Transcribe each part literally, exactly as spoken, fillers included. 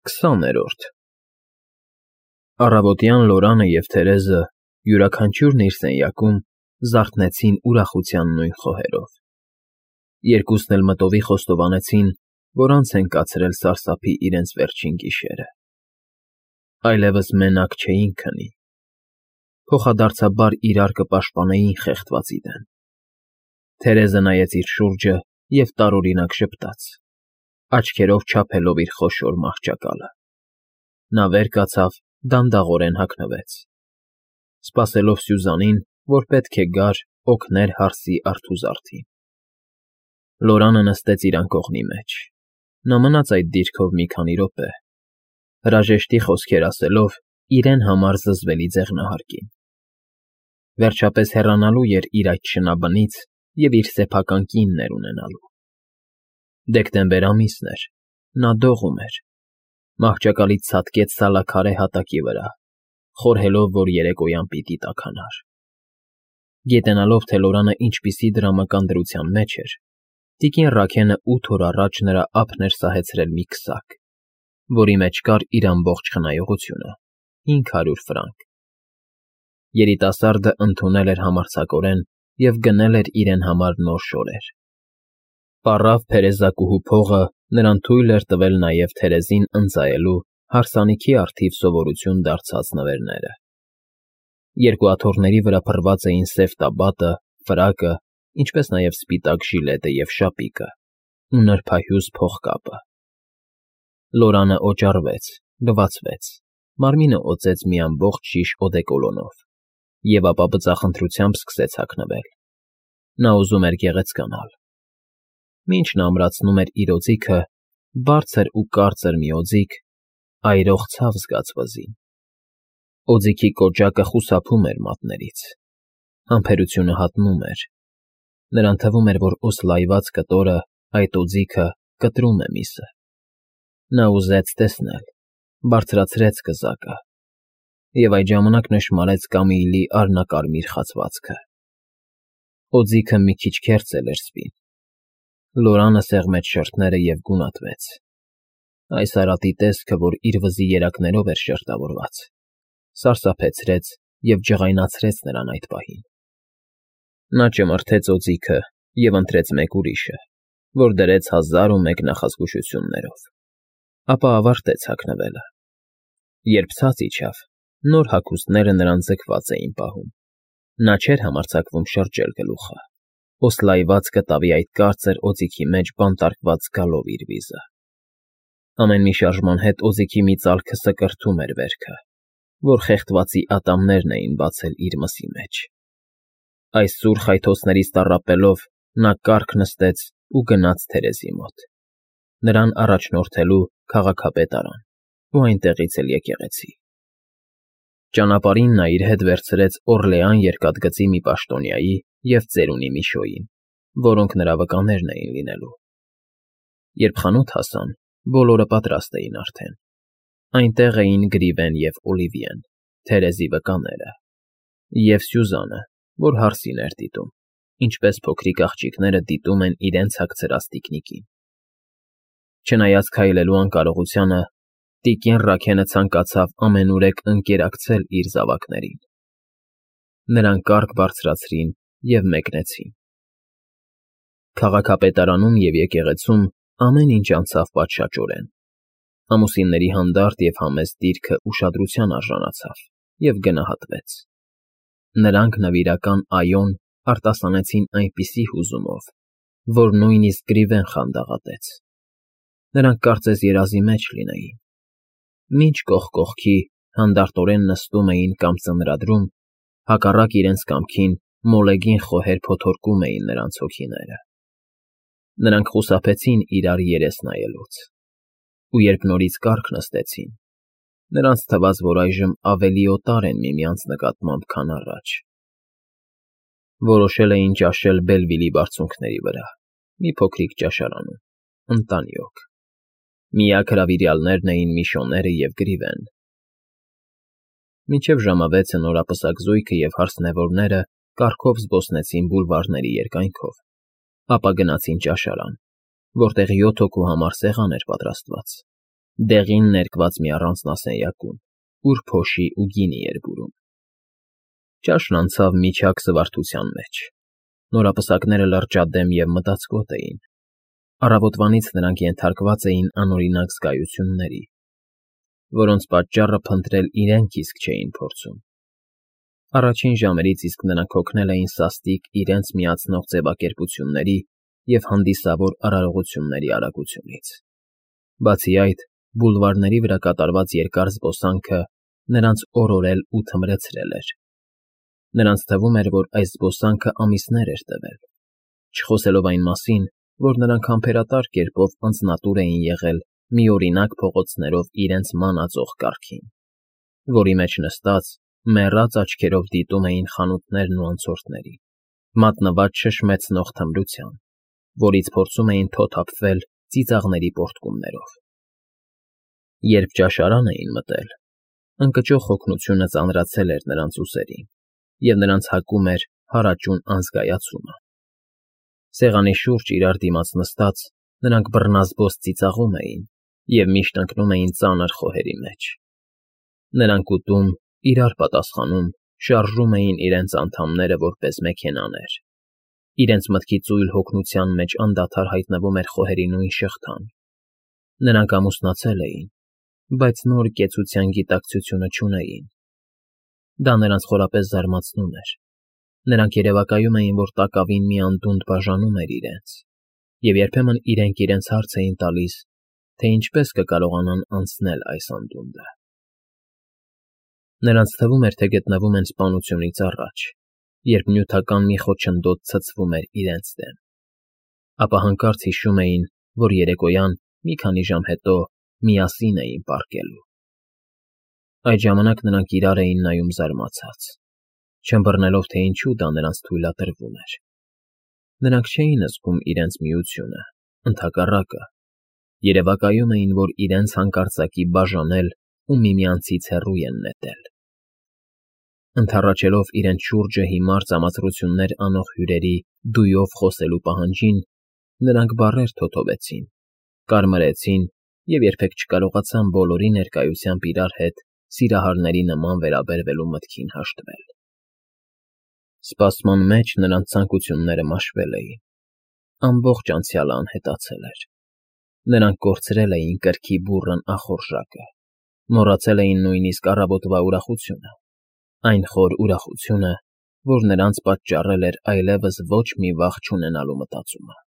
Քսաներորդ Առավոտյան Լորանը և Թերեզը յուրաքանչյուրն իր սենյակում զարթնեցին ուրախության նույն խոհերով. երկուսն էլ մտովի խոստովանեցին, որ անց են կացրել սարսափի իրենց վերջին գիշերը. այլևս մենակ չէին քնի, փոխադարձաբար իրար կպաշտպանեին խեղդվածի դեմ։ Թերեզը նայեց իր շուրջը և տարօրինակ ժպտաց, աչքերով չափելով իր խոշոր մահճակալը։ Նա վեր կացավ, դանդաղորեն հագնվեց, սպասելով Սյուզանին, որ պետք է գար օգներ հարսի արթուզարդին։ Լորանը նստեց իր անկողնի մեջ։ Նա մնաց այդ դիրքով մի քանի րոպե, հրաժեշտի խոսքեր ասելով իրեն համար զզվելի ձեղնահարկին։ Վերջապես հեռանալու էր իր այդ շնաբնից և իր սեփական կիններ ունենալու։ Դեկտեմբեր ամիսն էր, նա դողում էր, մահճակալից ցատկեց սալաքարե հատակի վրա, խորհելով, որ երեկոյան պիտի տաքանար։ Գիտենալով, թե Լորանը ինչպիսի դրամական դրության մեջ էր, տիկին Ռաքենը ութ օր առաջ նրա ափն էր սահեցրել մի քսակ, որի մեջ կար իր ամբողջ խնայողությունը՝ հինգ հարյուր ֆրանկ։ Երիտասարդը ընդունել էր համարձակորեն և գնել էր իրեն համար նոր շորեր։ Պառավ փերեզակուհու փողը նրան թույլ էր տվել նաև Թերեզին ընծայելու հարսանիքի առթիվ սովորություն դարձած նվերները։ Երկու աթոռների վրա փռված էին սև տաբատը, ֆրակը, ինչպես նաև սպիտակ ժիլետը և շապիկը ու նրբահյուզ փողկապը։ Լորանը օճառվեց, լվացվեց, մարմինը օծեց մի ամբողջ շիշ օդեկոլոնով և ապա բծախնդրությամբ սկսեց հագնվել։ Նա ուզում էր գեղեցկանալ։ Մինչ նա ամրացնում էր իր օձիքը, բարձր ու կարծր մի օձիք այրող ցավ զգաց վզին։ Օձիքի կոճակը խուսափում էր մատներից, համբերությունը հատնում էր, նրան թվում էր, որ օսլայված կտորը, այդ օձիքը, կտրում է միսը։ Նա ուզեց տեսնել, բարձրացրեց կզակը և այդ ժամանակ նշմարեց Կամիլի արհնակարմիր խացվածքը։ Օձիքը մի քիչ քերծել էր սպին։ Լորանը սեղմեց շրթները և գունատվեց։ Այս արատի տեսքը, որ իր վզի երակներով էր շերտավորված, սարսափեցրեց և ջղայնացրեց նրան այդ պահին։ Նա ճմրթեց օձիքը և ընտրեց մեկ ուրիշը, որ դրեց հազար ու մեկ նախազգուշություններով, ապա ավարտեց հագնվելը։ Երբ ցած իջավ, նոր հագուստները նրան ձգված էին պահում։ Նա չէր համարձակվում շրջել գլուխը, օսլայված կտավի այդ կարծր օձիքի մեջ բանտարկված զգալով իր վիզը։ Ամեն մի շարժման հետ օձիքի մի ծալքը սկրթում էր վերքը, որ խեղդվածի ատամներն էին բացել իր մսի մեջ։ Այս սուր խայթոցներից տառապելով նա կառք նստեց ու գնաց Թերեզի մոտ, նրան առաջնորդելու քաղաքապետարան ու այնտեղից էլ եկեղեցի։ Ճանապարհին նա իր հետ վերցրեց Օռլեան երկաթգծի մի պաշտոնյայի և ծերունի Միշոյին, որոնք նրա վկաներն էին լինելու։ Երբ խանութ հասան, բոլորը պատրաստ էին արդեն։ Այնտեղ էին Գրիվեն և Օլիվիեն, Թերեզի վկաները, և Սյուզանը, որ հարսին էր դիտում, ինչպես փոքրիկ աղջիկները դիտում են իրենց հագցրած տիկնիկին։ Չնայած քայլելու անկարողությանը, տիկին Ռաքենը ցանկացավ ամենուրեք ընկերակցել իր զավակներին։ Նրանք կառք բարձրացրին և մեկնեցին։ Քաղաքապետարանում և եկեղեցում ամեն ինչ անցավ պատշաճորեն։ Ամուսինների հանդարտ և համեստ դիրքը ուշադրության արժանացավ և գնահատվեց։ Նրանք նվիրական «այո»֊ն արտասանեցին այնպիսի հուզումով, որ նույնիսկ Գրիվեն խանդաղատեց։ Նրանք կարծես երազի մեջ լինեին։ Մինչ կողք կողքի հանդարտորեն նստում էին կամ ծնրադրում, հակառակ իրենց կամքին մոլեգին խոհեր փոթորկում էին նրանց հոգիները։ Նրանք խուսափեցին իրար երես նայելուց, ու երբ նորից կառք նստեցին, նրանց թվաց, որ այժմ ավելի օտար են միմյանց նկատմամբ, քան առաջ։ Որոշել էին ճաշել Բելվիլի բարձունքների վրա, մի փոքրիկ ճաշարանում, ընտանյոք։ Միակ հրավիրյալներն էին Միշոները և Գրիվեն։ Մինչև ժամը վեցը նորապսակ զույգը և հարսնևորները կառքով զբոսնեցին բուլվարների երկայնքով, ապա գնացին ճաշարան, որտեղ յոթ հոգու համար սեղան էր պատրաստված, դեղին ներկված մի առանձնասենյակում, ուր փոշի ու գինի էր բուրում։ Ճաշն անցավ միջակ զվարթության մեջ։ Նորապսակները լրջադեմ և մտածկոտ էին։ Առավոտվանից նրանք ենթարկված էին անօրինակ զգայությունների, որոնց պատճառը փնտրել իրենք իսկ չէին փորձում։ Առաջին ժամերից իսկ նրանք հոգնել էին սաստիկ իրենց միացնող ձևակերպությունների և հանդիսավոր արարողությունների արագությունից։ Բացի այդ, բուլվարների վրա կատարված երկար զբոսանքը նրանց օրորել ու թմրեցրել էր։ Նրանց թվում էր, որ այս զբոսանքը ամիսներ էր տևել, չխոսելով այն մասին, որ նրանք համբերատար կերպով անձնատուր էին եղել միօրինակ փողոցներով իրենց մանածող կառքին, որի մեջ նստած, մեռած աչքերով դիտում էին խանութներն ու անցորդներին, մատնված շշմեցնող թմրության, որից փորձում էին թոթափվել ծիծաղների պոռթկումներով։ Երբ ճաշարան էին մտել, ընկճող հոգնությունը ծանրացել էր նրանց ուսերին, և նրանց հակում էր հարաճուն անզգայացումը։ Սեղանի շուրջ իրար դիմաց նստած՝ նրանք բռնազբոս ծիծաղում էին և միշտ ընկնում էին ծանր խոհերի մեջ։ Նրանք ուտում, իրար պատասխանում, շարժում էին իրենց անդամները որպես մեքենաներ։ Իրենց մտքի ծույլ հոգնության մեջ անդադար հայտնվում էր խոհերի նույն շղթան։ Նրանք ամուսնացել էին, բայց նոր կեցության գիտակցությունը չունեին։ Դա նրանց խորապես զարմացնում էր։ Նրանք երևակայում էին, որ տակավին մի անդունդ բաժանում էր իրենց, և երբեմն իրենք իրենց հարց էին տալիս, թե ինչպես կկարողանան անցնել այս անդունդը։ Նրանց թվում էր, թե գտնվում են սպանությունից առաջ, երբ նյութական մի խոչընդոտ ցցվում էր իրենց դեմ, ապա հանկարծ հիշում էին, որ երեկոյան, մի քանի ժամ հետո, միասին էին պառկելու։ Այդ ժամանակ նրանք իրար էին նայում զարմացած, չըմբռնելով, թե ինչու դա նրանց թույլատրվում էր։ Նրանք չէին զգում իրենց միությունը, ընդհակառակը, երևակայում էին, որ իրենց հանկարծակի բաժանել ու միմյանցից հեռու են նետել։ Ընդառաջելով իրենց շուրջը հիմար ծամացրություններ անող հյուրերի դույով խոսելու պահանջին, նրանք բառեր թոթովեցին, կարմրեցին և երբեք չկարողացան բոլորի ներկայությամբ իրար հետ սիրահարների նման վերաբերվելու մտքին հաշտվել։ Սպասման մեջ նրանց ցանկությունները մաշվել էին։ Ամբողջ անցյալը անհետացել էր։ Նրանք կորցրել էին կրքի բուռն ախորժակը, մոռացել էին նույնիսկ առավոտվա ուրախությունը, այն խոր ուրախությունը, որ նրանց պատճառել էր այլևս ոչ մի վախ չունենալու մտածումը։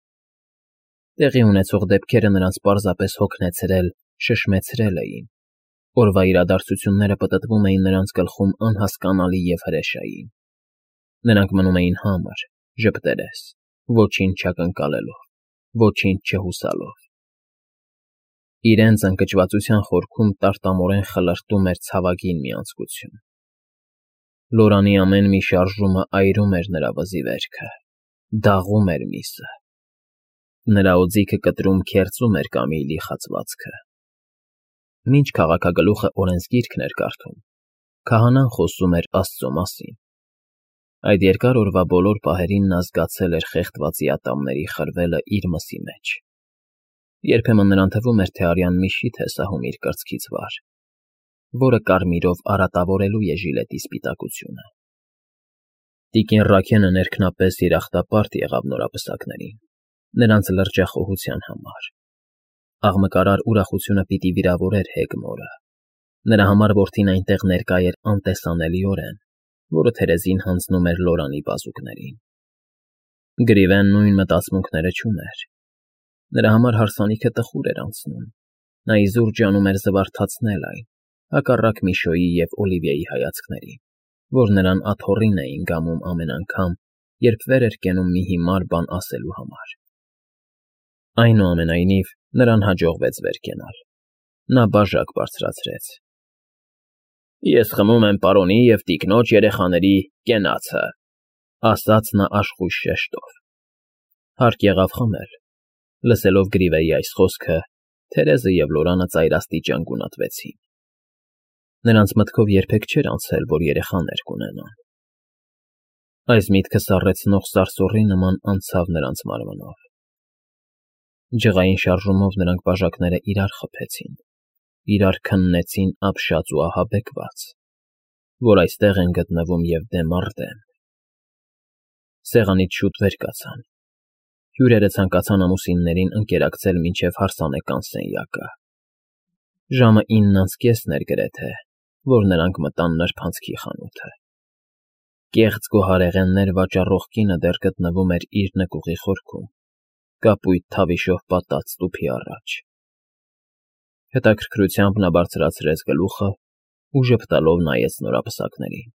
Տեղի ունեցող դեպքերը նրանց պարզապես հոգնեցրել, շշմեցրել էին։ Օրվա իրադարձությունները պտտվում էին նրանց գլխում անհասկանալի և հրեշային։ Նրանք մնում էին համր, ժպտերես, ոչինչ չակնկալելով, ոչինչ չհուսալով։ Իրենց ընկճվածության խորքում տարտամորեն խլրտում էր ցավագին մի անձկություն։ Լորանի ամեն մի շարժումը այրում էր նրա վզի վերքը, դաղում էր միսը։ Նրա օձիքը կտրում քերծում էր Կամիլի խացվածքը։ Մինչ քաղաքագլուխը օրենսգիրքն էր կարդում, քահանան խոսում էր Աստծո մասին։ Այդ երկար օրվա բոլոր պահերին նա զգացել էր խեղդվածի ատամների խրվելը իր մսի մեջ։ Երբեմն նրան թվում էր, թե արյան մի շիթ է սահում իր կրծքից վար, որը կարմիրով արատավորելու է ժիլետի սպիտակությունը։ Տիկին Ռաքենը ներքնապես երախտապարտ եղավ նորապսակներին, նրանց լրջախոհության համար։ Աղմկարար ուրախությունը պիտի վիրավորեր Հեգմորը։ Նրա համար որդին այնտեղ ներկա էր անտեսանելիորեն, որը թերեզին հանձնում էր Լորանի բազուկներին։ Գրիվեն նույն մտածմունքները չուներ։ Նրա համար հարսանիքը տխուր էր անցնում։ Նա իզուր ջանում էր զվարթացնել այն, հակառակ Միշոյի և Օլիվիայի հայացքներին, որ նրան աթոռին էին գամում ամեն անգամ, երբ վեր էր կենում մի հիմար բան ասելու համար։ Այնուամենայնիվ, նրան հաջողվեց վեր կենալ։ Նա բաժակ բարձրացրեց։ Ես խմում եմ պարոնի և տիկնոջ երեխաների կենացը, ասաց նա աշխույժ շեշտով։ Հարկ եղավ խմել։ Լսելով Գրիվեի այս խոսքը, Թերեզը և Լորանը ծայրաստիճան գունատվեցին։ Նրանց մտքով երբեք չէր անցել, որ երեխաներ կունենան։ Այս միտքը սառեցնող սարսուռի նման անցավ նրանց մարմնով։ Ջղային շարժումով նրանք բաժակները իրար խփեցին, իրար քննեցին ապշած ու ահաբեկված, որ այստեղ են գտնվում և դեմ առ դեմ։ Սեղանից շուտ վեր կացան, հյուրերը ցանկացան ամուսիններին ընկերակցել մինչև հարսանեկան սենյակը։ Ժամը ինն անց կեսն էր գրեթե, որ նրանք մտան նրբանցքի խանութը։ Կեղծ գոհարեղեններ վաճառող կինը դեռ գտնվում էր իր նկուղի խորքում, կապույտ թավիշով պատած տուփի առաջ։ Հետաքրքրությամբ նա բարձրացրեց գլուխը ու ժպտալով նայեց նորապսակներին։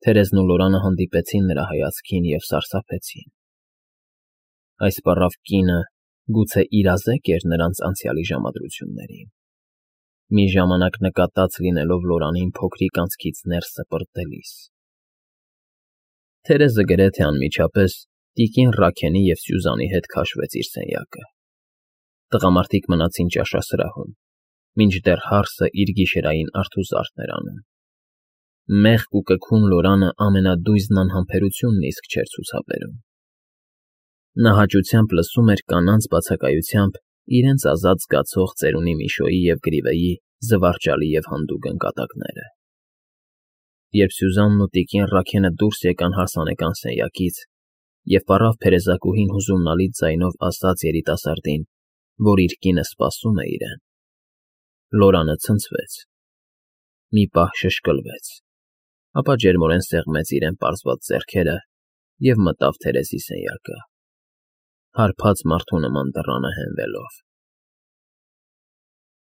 Թերեզն ու Լորանը հանդիպեցին նրա հայացքին և սարսափեցին։ Այս պառավ կինը գուցե իրազե՞կ էր նրանց անցյալի ժամադրություններին։ Մի ժամանակ նկատած լինելով Լորանին փոքրիկ անցքից ներս սպրտելիս։ Թերեզը գրեթե անմիջապես տիկին Ռաքենի և Սյուզանի հետ քաշվեց իր սենյակը։ Տղամարդիկ մնացին ճաշասրահում, մինչդեռ հարսը իր գիշերային արթուզարդն էր անում։ Մեղք ու կքուն Լորանը ամենադույզն անհամբերությունն իսկ չէր ցուցաբերում։ Նա հաճությամբ լսում էր կանանց բացակայությամբ իրենց ազատ զգացող ծերունի Միշոյի և Գրիվեյի զվարճալի և հանդուգն կատակները։ Երբ Սյուզանն ու տիկին Ռաքենը դուրս եկան հարսանեկան սենյակից և պառավ փերեզակուհին հուզումնալի ձայնով ասաց երիտասարդին, որ իր կինը սպասում է իրեն, Լորանը ցնցվեց, մի պահ շշկլվեց, ապա ջերմորեն սեղմեց իրեն պարզված ձեռքերը և մտավ Թերեզի սենյակը, հարբած մարդու նման դռանը հենվելով։